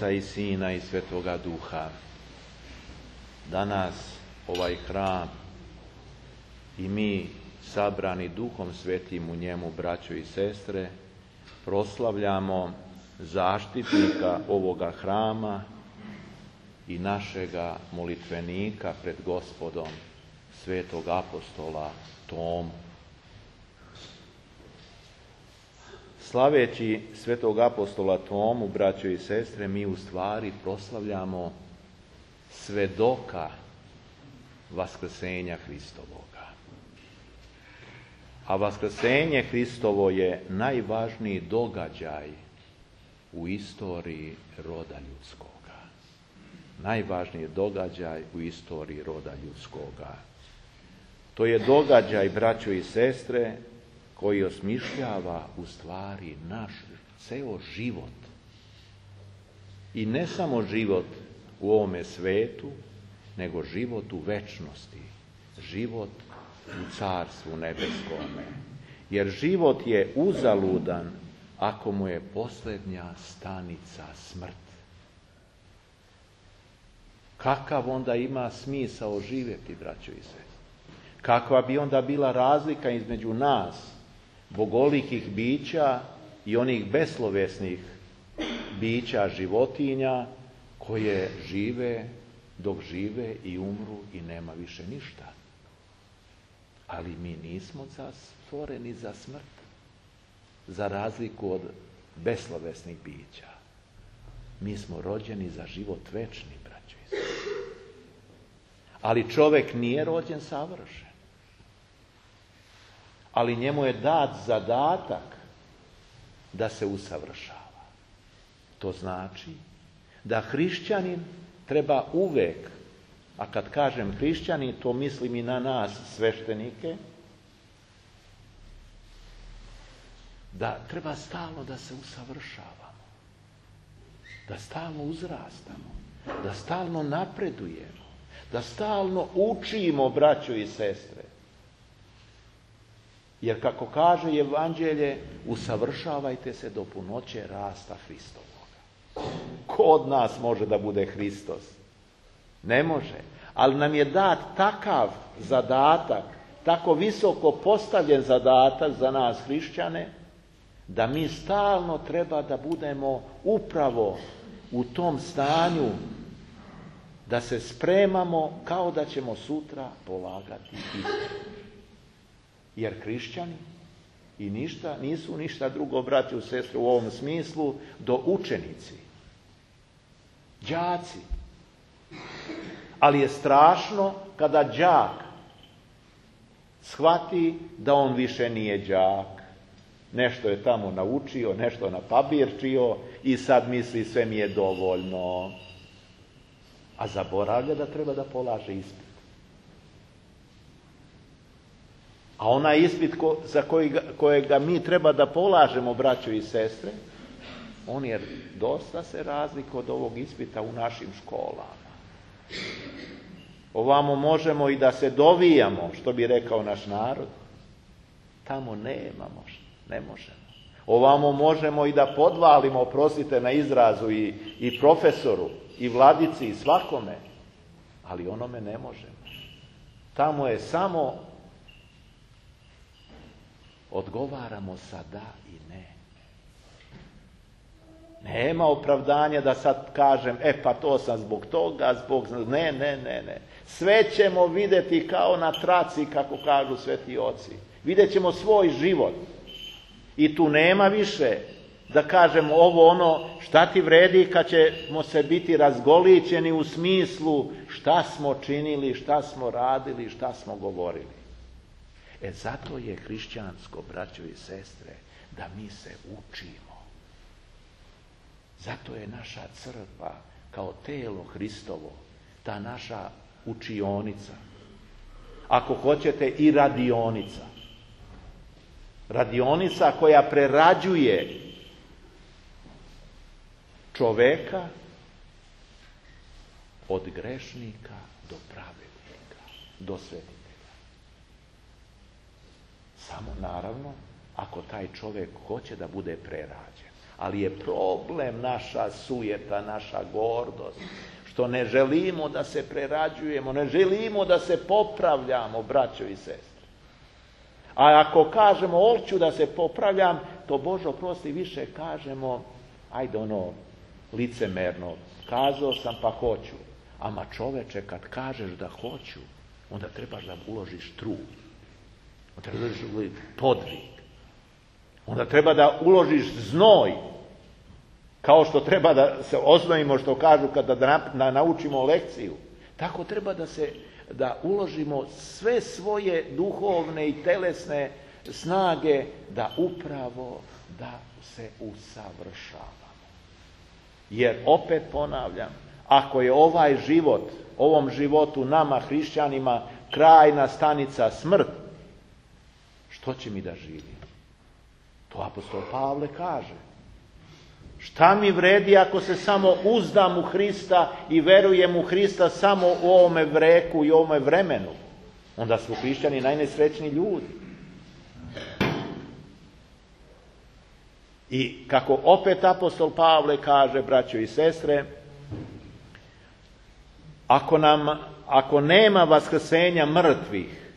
Oca i Sina i Svetoga Duha. Danas ovaj hram i mi sabrani Duhom Svetim u njemu, braćo i sestre, proslavljamo zaštitnika ovoga hrama i našega molitvenika pred Gospodom, svetog apostola Tomu. Slaveći svetog apostola Tomu, braćo i sestre, mi u stvari proslavljamo svedoka vaskrsenja Hristovoga. A vaskrsenje Hristovo je najvažniji događaj u istoriji roda ljudskoga. Najvažniji događaj u istoriji roda ljudskoga. To je događaj, braćo i sestre, koji osmišljava u stvari naš ceo život. I ne samo život u ovome svetu, nego život u večnosti, život u Carstvu nebeskome. Jer život je uzaludan ako mu je posljednja stanica smrt. Kakav onda ima smisao živjeti, braćo i sestre? Kakva bi onda bila razlika između nas, bogolikih bića, i onih beslovesnih bića, životinja, koje žive dok žive i umru i nema više ništa. Ali mi nismo stvoreni za smrt, za razliku od beslovesnih bića. Mi smo rođeni za život večni, braćo i sestre. Ali čovjek nije rođen savršen. Ali njemu je dat zadatak da se usavršava. To znači da hrišćanin treba uvek, a kad kažem hrišćanin, to mislim i na nas sveštenike, da treba stalno da se usavršavamo, da stalno uzrastamo, da stalno napredujemo, da stalno učimo, braćo i sestre. Jer kako kaže Evanđelje, usavršavajte se do punoće rasta Hristovoga. Ko od nas može da bude Hristos? Ne može. Ali nam je dat takav zadatak, tako visoko postavljen zadatak za nas hrišćane, da mi stalno treba da budemo upravo u tom stanju, da se spremamo kao da ćemo sutra polagati ispit. Jer hrišćani i nisu ništa drugo, braćo i sestre, u ovom smislu, do učenici, đaci. Ali je strašno kada đak shvati da on više nije đak. Nešto je tamo naučio, nešto napabirčio i sad misli sve mi je dovoljno. A zaboravlja da treba da polaže ispit. A onaj ispit za kojega mi treba da polažemo, braćo i sestre, on je dosta se razlika od ovog ispita u našim školama. Ovamo možemo i da se dovijamo, što bi rekao naš narod. Tamo ne možemo. Ovamo možemo i da podvalimo, oprostite na izrazu, i profesoru, i vladici, i svakome. Ali onome ne možemo. Tamo je samo odgovaramo sa da i ne. Nema opravdanja da sad kažem, pa to sam zbog toga, Ne. Sve ćemo vidjeti kao na traci, kako kažu sveti oci. Vidjet ćemo svoj život. I tu nema više da kažemo ovo ono, šta ti vredi kad ćemo se biti razgolićeni u smislu šta smo činili, šta smo radili, šta smo govorili. Zato je hrišćansko, braćo i sestre, da mi se učimo. Zato je naša crkva kao telo Hristovo, ta naša učionica. Ako hoćete, i radionica. Radionica koja prerađuje čoveka od grešnika do pravednika, do svetitelja. Samo naravno ako taj čovjek hoće da bude prerađen. Ali je problem naša sujeta, naša gordost, što ne želimo da se prerađujemo, ne želimo da se popravljamo, braćo i sestre. A ako kažemo hoću da se popravljam, to Bože oprosti više kažemo, ajde licemerno, kazao sam pa hoću. Ama čoveče, kad kažeš da hoću, onda trebaš da uložiš trud. Onda trebaš da uložiš podvig. Onda treba da uložiš znoj. Kao što treba da se oznojimo, što kažu kada da naučimo lekciju. Tako treba da uložimo sve svoje duhovne i telesne snage da upravo da se usavršavamo. Jer opet ponavljam, ako je ovaj život, ovom životu nama hrišćanima krajna stanica smrt, što će mi da živim? To apostol Pavle kaže. Šta mi vredi ako se samo uzdam u Hrista i verujem u Hrista samo u ovome vreku i ovome vremenu? Onda su hrišćani najnesrećniji ljudi. I kako opet apostol Pavle kaže, braćo i sestre, ako nema vaskrsenja mrtvih,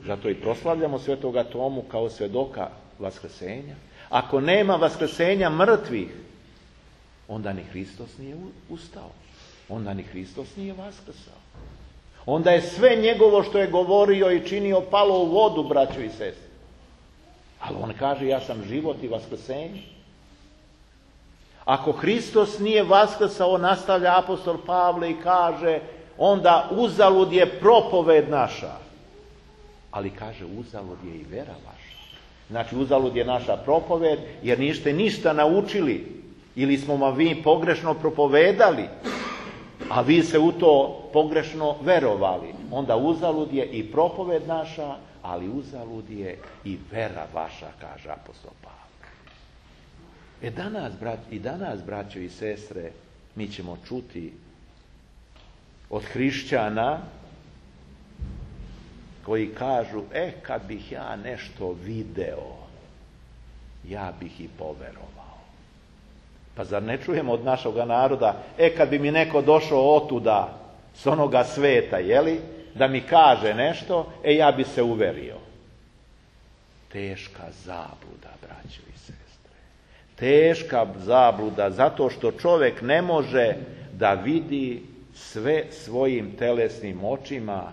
zato i proslavljamo svetoga Tomu kao svedoka vaskrsenja, ako nema vaskrsenja mrtvih, onda ni Hristos nije ustao, onda ni Hristos nije vaskrsao. Onda je sve njegovo što je govorio i činio palo u vodu, braćo i sestre. Ali on kaže, ja sam život i vaskrsenje. Ako Hristos nije vaskrsao, nastavlja apostol Pavle i kaže, onda uzalud je propoved naša. Ali kaže, uzalud je i vera vaša. Znači, uzalud je naša propoved, jer niste ništa naučili, ili smo vam vi pogrešno propovedali, a vi se u to pogrešno verovali. Onda uzalud je i propoved naša, ali uzalud je i vera vaša, kaže apostol Pavle. Danas, braćo i sestre, mi ćemo čuti od hrišćana koji kažu, kad bih ja nešto video, ja bih i poverovao. Pa zar ne čujemo od našega naroda, kad bi mi neko došao otuda, s onoga sveta, da mi kaže nešto, ja bi se uverio. Teška zabluda, braćo i sestre. Teška zabluda, zato što čovjek ne može da vidi sve svojim telesnim očima.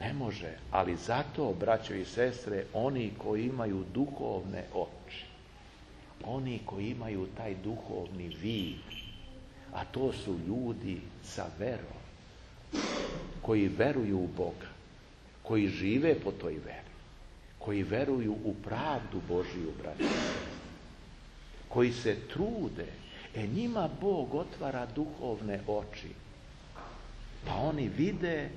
Ne može, ali zato, braćo i sestre, oni koji imaju duhovne oči, oni koji imaju taj duhovni vid, a to su ljudi sa verom, koji veruju u Boga, koji žive po toj veri, koji veruju u pravdu Božiju, braćo i sestre, koji se trude, njima Bog otvara duhovne oči, pa oni vide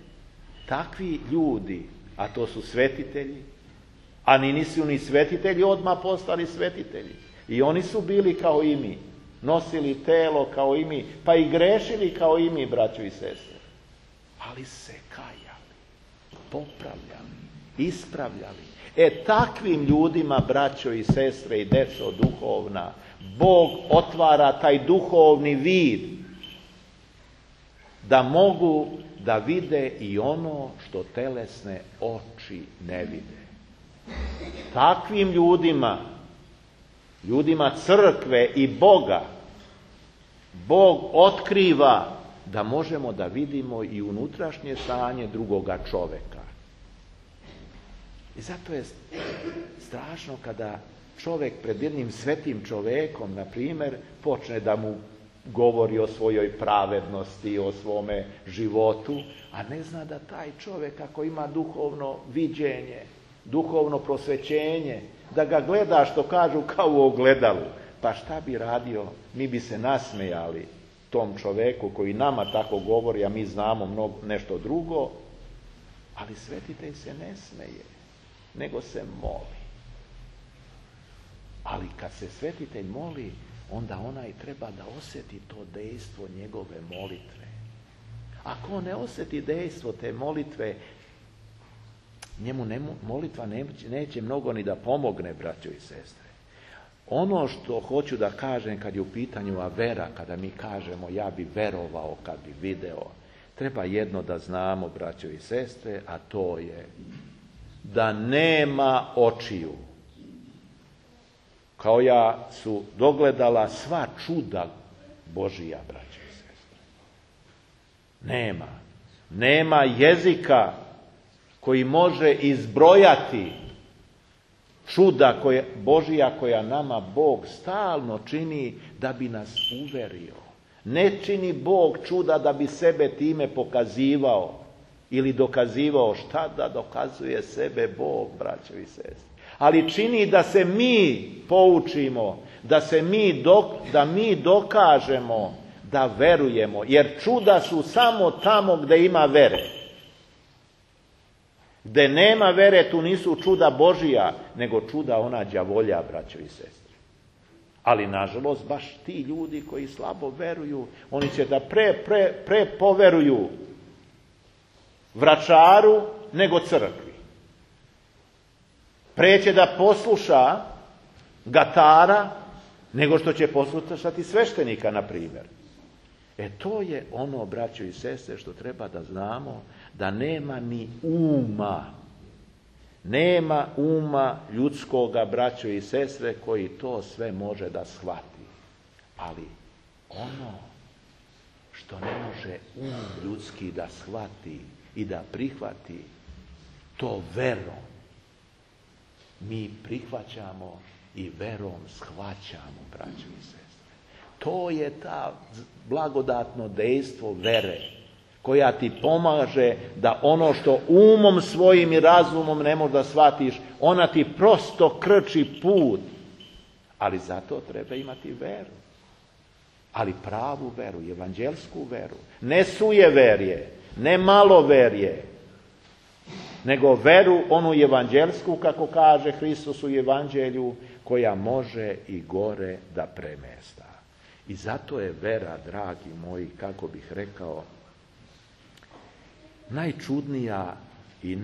takvi ljudi, a to su svetitelji, a nisu ni svetitelji odmah postali svetitelji. I oni su bili kao i mi, nosili telo kao i mi, pa i grešili kao i mi, braćo i sestre. Ali se kajali, popravljali, ispravljali. Takvim ljudima, braćo i sestre i deco duhovna, Bog otvara taj duhovni vid, da mogu da vide i ono što telesne oči ne vide. Takvim ljudima crkve i Boga, Bog otkriva da možemo da vidimo i unutrašnje stanje drugoga čoveka. I zato je strašno kada čovjek pred jednim svetim čovekom, na primjer, počne da mu govori o svojoj pravednosti, o svome životu, a ne zna da taj čovjek, ako ima duhovno viđenje, duhovno prosvećenje, da ga gleda, što kažu, kao u ogledalu. Pa šta bi radio? Mi bi se nasmejali tom čovjeku koji nama tako govori, a mi znamo nešto drugo, ali svetitelj se ne smeje, nego se moli. Ali kad se svetitelj moli, onda onaj treba da osjeti to dejstvo njegove molitve. Ako on ne osjeti dejstvo te molitve, njemu molitva neće mnogo ni da pomogne, braćo i sestre. Ono što hoću da kažem kad je u pitanju vera, kada mi kažemo ja bi verovao kad bi video, treba jedno da znamo, braćo i sestre, a to je da nema očiju koja su dogledala sva čuda Božija, braćo i sestre. Nema jezika koji može izbrojati čuda Božija koja nama Bog stalno čini da bi nas uverio. Ne čini Bog čuda da bi sebe time pokazivao ili dokazivao. Šta da dokazuje sebe Bog, braćo i sestre? Ali čini da se mi poučimo, da mi dokažemo da verujemo. Jer čuda su samo tamo gdje ima vere. Gdje nema vere, tu nisu čuda Božija, nego čuda ona đavolja, braćo i sestre. Ali, nažalost, baš ti ljudi koji slabo veruju, oni će da pre poveruju vračaru nego crkvi. Pre će da posluša gatara nego što će poslušati sveštenika, na primjer. To je ono, braćo i sestre, što treba da znamo, da nema ni uma. Nema uma ljudskoga, braćo i sestre, koji to sve može da shvati. Ali ono što ne može ljudski da shvati i da prihvati, to verom mi prihvaćamo i verom shvaćamo, braćo i sestre. To je ta blagodatno dejstvo vere koja ti pomaže da ono što umom svojim i razumom ne možeš da shvatiš, ona ti prosto krči put. Ali zato treba imati veru. Ali pravu veru, evanđelsku veru. Ne sujeverje, ne maloverje, nego veru onu evanđelsku, kako kaže Hristos u evanđelju, koja može i gore da premesta. I zato je vera, dragi moji, kako bih rekao, najčudnija i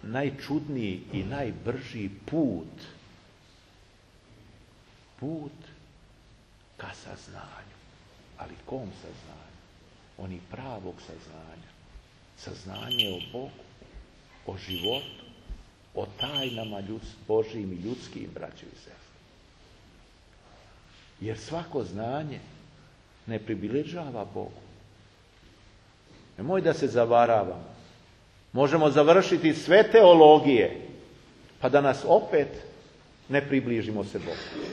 najčudniji i najbrži put ka saznanju. Ali kom saznanju? Oni pravog saznanja. Saznanje o Bogu, o životu, o tajnama Božijim i ljudskim, braćo i sestre. Jer svako znanje ne približava Bogu. Nemoj da se zavaravamo. Možemo završiti sve teologije, pa da nas opet ne približimo se Bogu.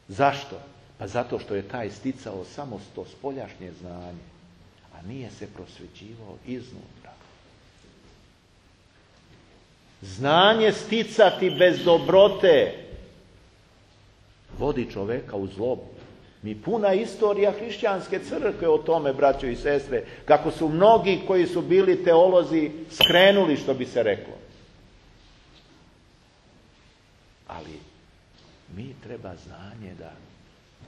Zašto? Pa zato što je taj sticao samo to spoljašnje znanje, a nije se prosvećivao iznutra. Znanje sticati bez dobrote vodi čoveka u zlobu. Mi puna istorija hrišćanske crkve o tome, braćo i sestre, kako su mnogi koji su bili teolozi skrenuli, što bi se reklo. Ali mi treba znanje da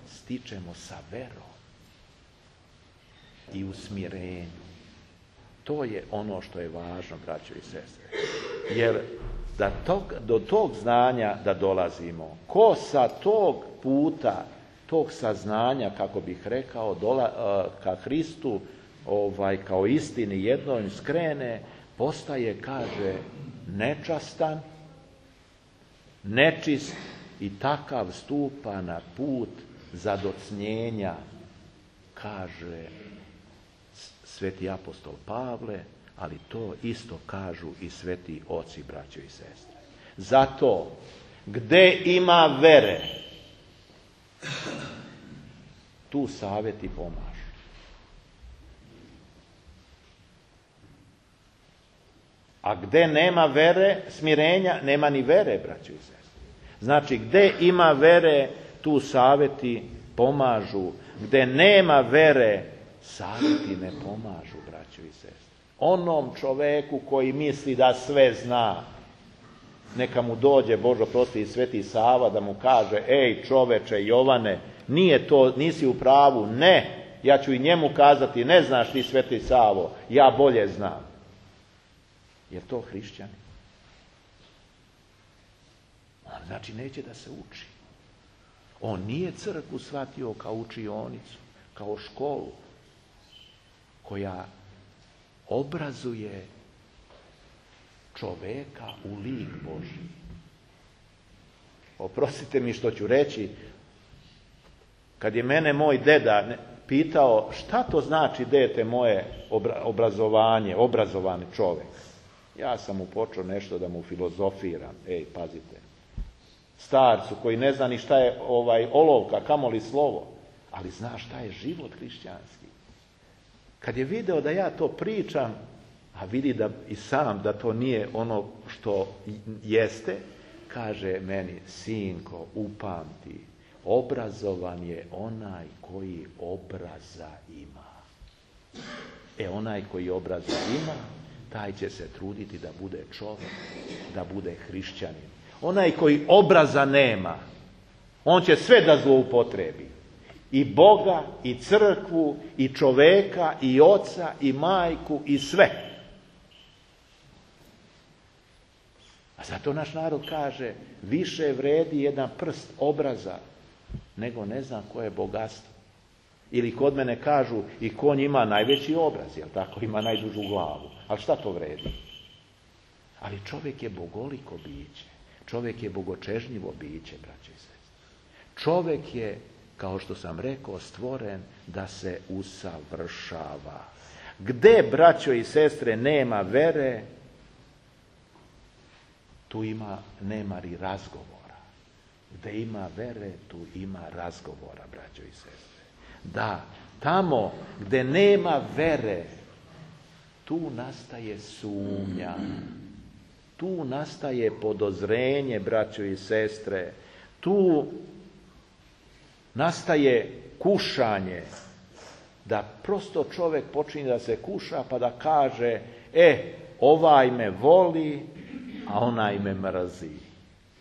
stičemo sa verom i u smirenju. To je ono što je važno, braćo i sestre. Jer do tog znanja da dolazimo, ko sa tog puta, tog saznanja, kako bih rekao, ka Hristu, kao istini jednoj skrene, postaje, kaže, nečastan, nečist i takav stupa na put zadocnjenja, kaže sveti apostol Pavle, ali to isto kažu i sveti oci, braćo i sestre. Zato, gde ima vere, tu savjeti pomažu. A gde nema vere, smirenja, nema ni vere, braćo i sestre. Znači, gde ima vere, tu savjeti pomažu. Gde nema vere, savjeti ne pomažu, braćo i sestre. Onom čoveku koji misli da sve zna, neka mu dođe, Bože prosti, sveti Sava da mu kaže, ej čoveče Jovane, nisi u pravu, ne, ja ću i njemu kazati, ne znaš ti sveti Savo, ja bolje znam. Je to hrišćani? on znači neće da se uči. On nije crkvu shvatio kao učionicu, kao školu koja obrazuje čoveka u lik Božji. Oprostite mi što ću reći, kad je mene moj deda pitao šta to znači, dete moje, obrazovanje, obrazovan čovjek, ja sam mu počeo nešto da mu filozofiram. Pazite, starcu koji ne zna ni šta je olovka, kamoli slovo, ali zna šta je život hrišćanski. Kad je video da ja to pričam, a vidi da i sam da to nije ono što jeste, kaže meni: sinko, upamti, obrazovan je onaj koji obraza ima. Onaj koji obraza ima, taj će se truditi da bude čovjek, da bude hrišćanin. Onaj koji obraza nema, on će sve da zloupotrebi. I Boga, i crkvu, i čoveka, i oca, i majku, i sve. A zato naš narod kaže: više vredi jedan prst obraza nego ne znam koje bogatstvo. Ili kod mene kažu: i konj ima najveći obraz, jel tako, ima najdužu glavu. Ali šta to vredi? Ali čovjek je bogoliko biće. Čovjek je bogočežnjivo biće, braće i sestre. Čovjek je, kao što sam rekao, stvoren da se usavršava. Gde, braćo i sestre, nema vere, tu nema ni razgovora. Gde ima vere, tu ima razgovora, braćo i sestre. Da, tamo gde nema vere, tu nastaje sumnja. Tu nastaje podozrenje, braćo i sestre. Tu nastaje kušanje. Da prosto čovjek počinje da se kuša pa da kaže: ovaj me voli, a onaj me mrzi.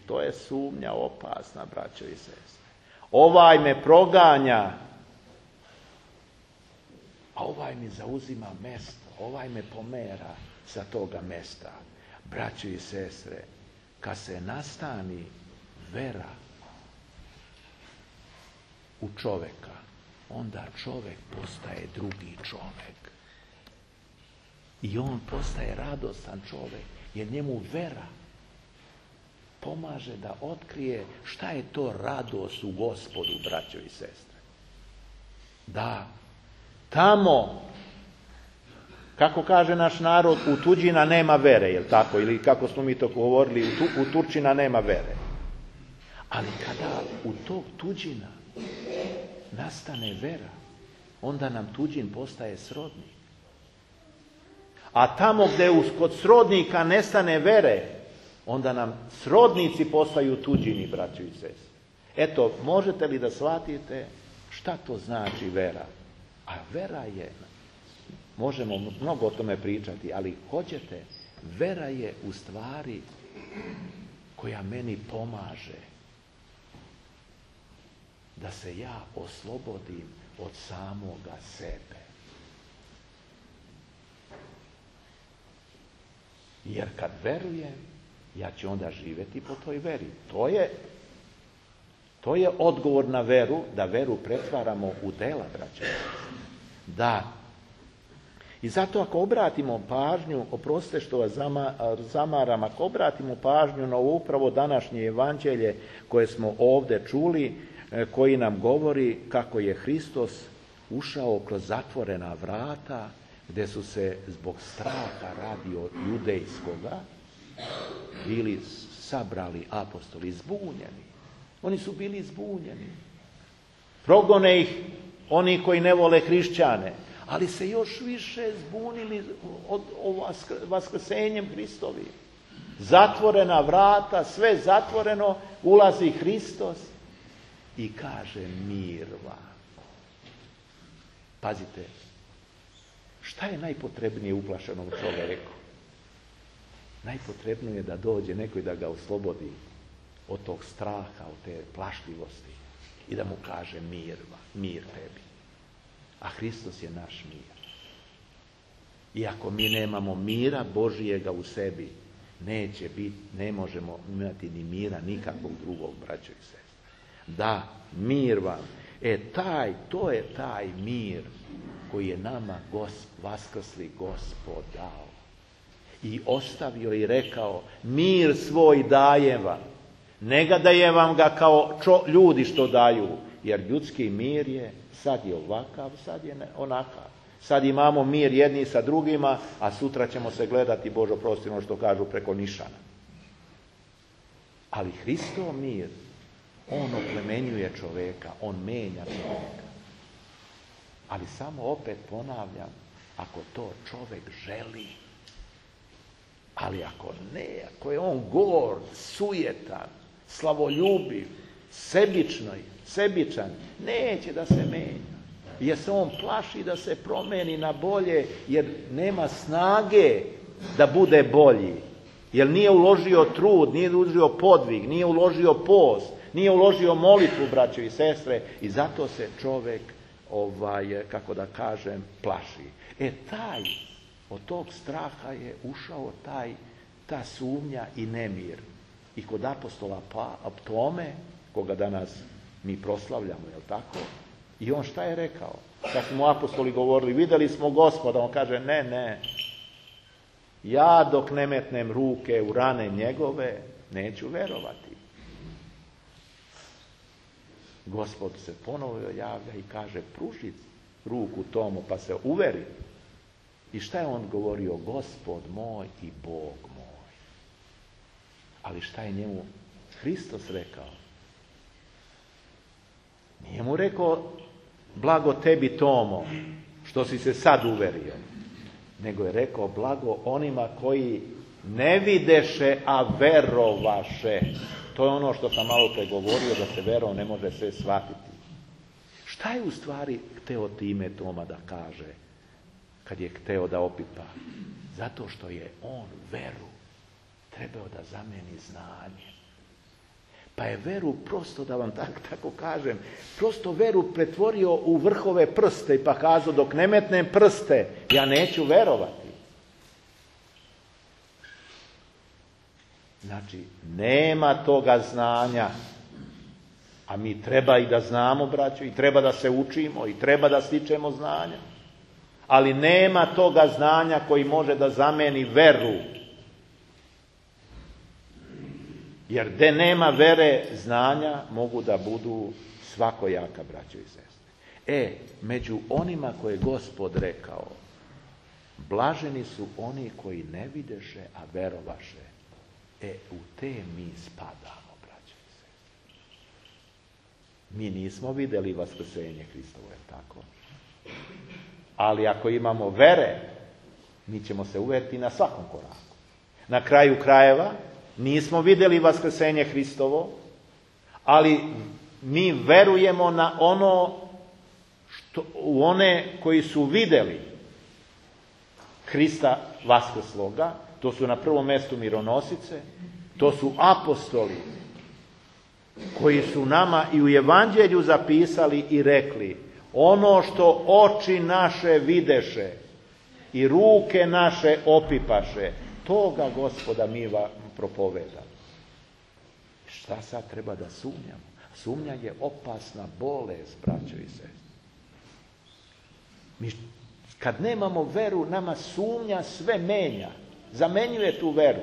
To je sumnja opasna, braćo i sestre. Ovaj me proganja, a ovaj mi zauzima mesto. Ovaj me pomera sa toga mesta. Braćo i sestre, kad se nastani vera u čovjeka, onda čovjek postaje drugi čovjek. I on postaje radostan čovjek, jer njemu vera pomaže da otkrije šta je to radost u Gospodu, braćo i sestre. Da, tamo, kako kaže naš narod, u tuđina nema vere, jel tako? Ili kako smo mi to govorili, u Turčina nema vere. Ali kada u tog tuđina nastane vera, onda nam tuđin postaje srodnik. A tamo gdje kod srodnika nestane vere, onda nam srodnici postaju tuđini, braćo i sestre. Eto, možete li da shvatite šta to znači vera? A vera je, možemo mnogo o tome pričati, ali hoćete, vera je u stvari koja meni pomaže da se ja oslobodim od samoga sebe. Jer kad verujem, ja ću onda živjeti po toj veri. To je odgovor na veru, da veru pretvaramo u dela, braće. Da. I zato ako obratimo pažnju, oprostite što vas zamaram, ako obratimo pažnju na upravo današnje evanđelje koje smo ovdje čuli, koji nam govori kako je Hristos ušao kroz zatvorena vrata, gdje su se zbog straha radio judejskoga bili sabrali apostoli zbunjeni. Oni su bili zbunjeni. Progone ih oni koji ne vole hrišćane, ali se još više zbunili od vaskrsenjem Hristovi. Zatvorena vrata, sve zatvoreno, ulazi Hristos i kaže: mir vam. Pazite, šta je najpotrebnije uplašenom čovjeku? Najpotrebnije je da dođe neko i da ga oslobodi od tog straha, od te plašljivosti i da mu kaže: mir tebi. A Hristos je naš mir. I ako mi nemamo mira Božijega u sebi, ne možemo imati ni mira nikakvog drugog, braćo i sestre. Da, mir vam. To je taj mir koji je nama vaskrsli Gospod dao. I ostavio i rekao, mir svoj dajem vam. Ne ga dajem vam ga kao ljudi što daju, jer ljudski mir je, sad je ovakav, sad je onakav. Sad imamo mir jedni sa drugima, a sutra ćemo se gledati, Bože oprosti, što kažu, preko nišana. Ali Hristov mir, on oplemenjuje čovjeka, on menja čovjeka. Ali samo opet ponavljam, ako to čovjek želi. Ali ako ne, ako je on gord, sujetan, slavoljubiv, sebičan, neće da se menja. Jer se on plaši da se promeni na bolje, jer nema snage da bude bolji. Jer nije uložio trud, nije uložio podvig, nije uložio post, nije uložio molitvu, braćo i sestre, i zato se čovjek, plaši. Od tog straha je ušao ta sumnja i nemir. I kod apostola Tome, koga danas mi proslavljamo, jel tako? I on šta je rekao? Kad smo apostoli govorili, vidjeli smo Gospoda, on kaže, ne. Ja dok ne metnem ruke u rane njegove, neću verovati. Gospod se ponovo javlja i kaže, pruži ruku Tomu pa se uveri. I šta je on govorio? Gospod moj i Bog moj. Ali šta je njemu Hristos rekao? Nije mu rekao, blago tebi Tomo, što si se sad uverio. Nego je rekao, blago onima koji ne videše, a verovaše. To je ono što sam malo pre govorio, da se verom ne može sve shvatiti. Šta je u stvari hteo time Toma da kaže, kad je hteo da opipa? Zato što je on veru trebao da zameni znanje. Pa je veru prosto, da vam tako kažem, prosto veru pretvorio u vrhove prste i pa kazao, dok ne metnem prste, ja neću verovati. Znači, nema toga znanja, a mi treba i da znamo, braćo, i treba da se učimo, i treba da stičemo znanja, ali nema toga znanja koji može da zameni veru. Jer gde nema vere, znanja mogu da budu svakojaka, braćo i sestre. Među onima koje je Gospod rekao, blaženi su oni koji ne videše, a verovaše. U te mi spadamo, braćo i sestre. Mi nismo vidjeli vaskrsenje Hristovo, je tako? Ali ako imamo vere, mi ćemo se uveriti na svakom koraku. Na kraju krajeva, nismo vidjeli vaskrsenje Hristovo, ali mi verujemo na u one koji su vidjeli Hrista vaskrsloga. To su na prvom mjestu mironosice, to su apostoli koji su nama i u evanđelju zapisali i rekli, ono što oči naše videše i ruke naše opipaše, toga Gospoda mi vam propovedamo. Šta sad treba da sumnjamo? Sumnja je opasna bolest, braćo i sestre. Kad nemamo veru, nama sumnja sve menja. Zamenjuje tu veru.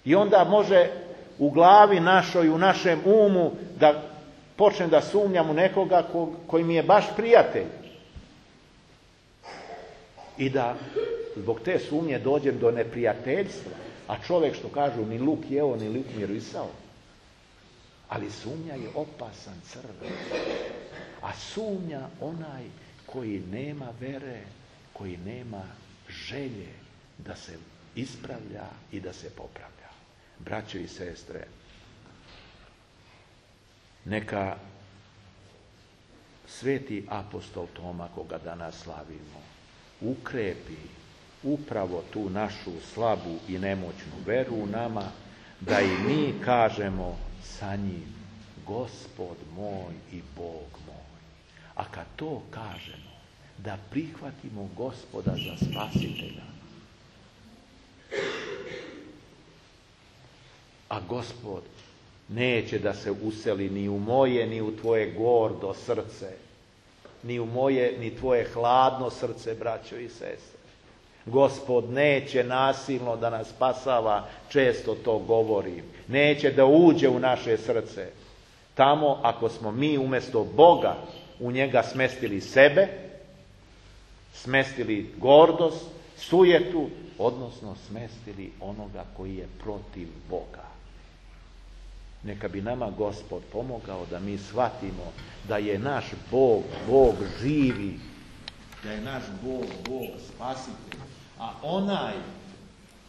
I onda može u glavi našoj, u našem umu, da počnem da sumnjam u nekoga koji mi je baš prijatelj. I da zbog te sumnje dođem do neprijateljstva. A čovjek, što kažu, ni luk jeo, ni luk mirisao. Ali sumnja je opasan crven. A sumnja onaj koji nema vere, koji nema želje da se ispravlja i da se popravlja. Braćo i sestre, neka sveti apostol Toma, koga danas slavimo, ukrepi upravo tu našu slabu i nemoćnu veru u nama, da i mi kažemo sa njim, Gospod moj i Bog moj. A kad to kažemo, da prihvatimo Gospoda za spasitelja, A Gospod neće da se useli ni u moje, ni u tvoje gordo srce, ni u moje, ni tvoje hladno srce, braćo i sestre. Gospod neće nasilno da nas spasava, često to govorim. Neće da uđe u naše srce. Tamo ako smo mi umjesto Boga u njega smestili sebe, smestili gordost, sujetu, odnosno smestili onoga koji je protiv Boga. Neka bi nama Gospod pomogao da mi shvatimo da je naš Bog, Bog živi, da je naš Bog, Bog spasitelj. A onaj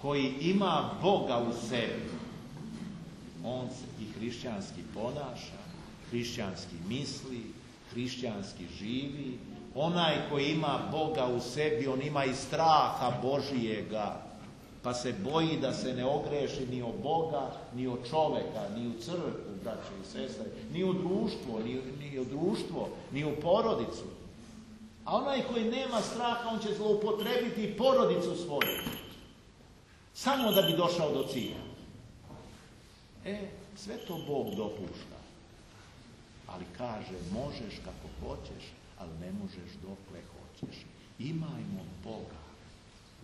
koji ima Boga u sebi, on se i hrišćanski ponaša, hrišćanski misli, hrišćanski živi. Onaj koji ima Boga u sebi, on ima i straha Božijega, pa se boji da se ne ogreši ni o Boga, ni o čoveka, ni u crkvu, braće i sestre, ni u društvo, ni u porodicu. A onaj koji nema straha, on će zloupotrebiti porodicu svoju, samo da bi došao do cilja. Sve to Bog dopušta. Ali kaže, možeš kako hoćeš, ali ne možeš dokle hoćeš. Imajmo Boga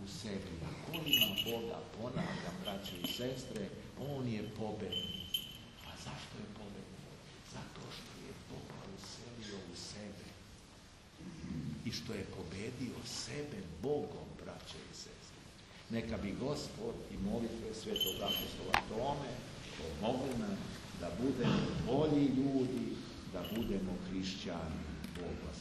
u sebi. Ako ima Boga, ponavljam, braće i sestre, on je pobednik. A zašto je pobednik? Zato što je Boga uselio u sebe. I što je pobedio sebe Bogom, braće i sestre. Neka bi Gospod i molitve svetog apostola Tome pomogli nam da budemo bolji ljudi, da budemo hrišćani. Bog vas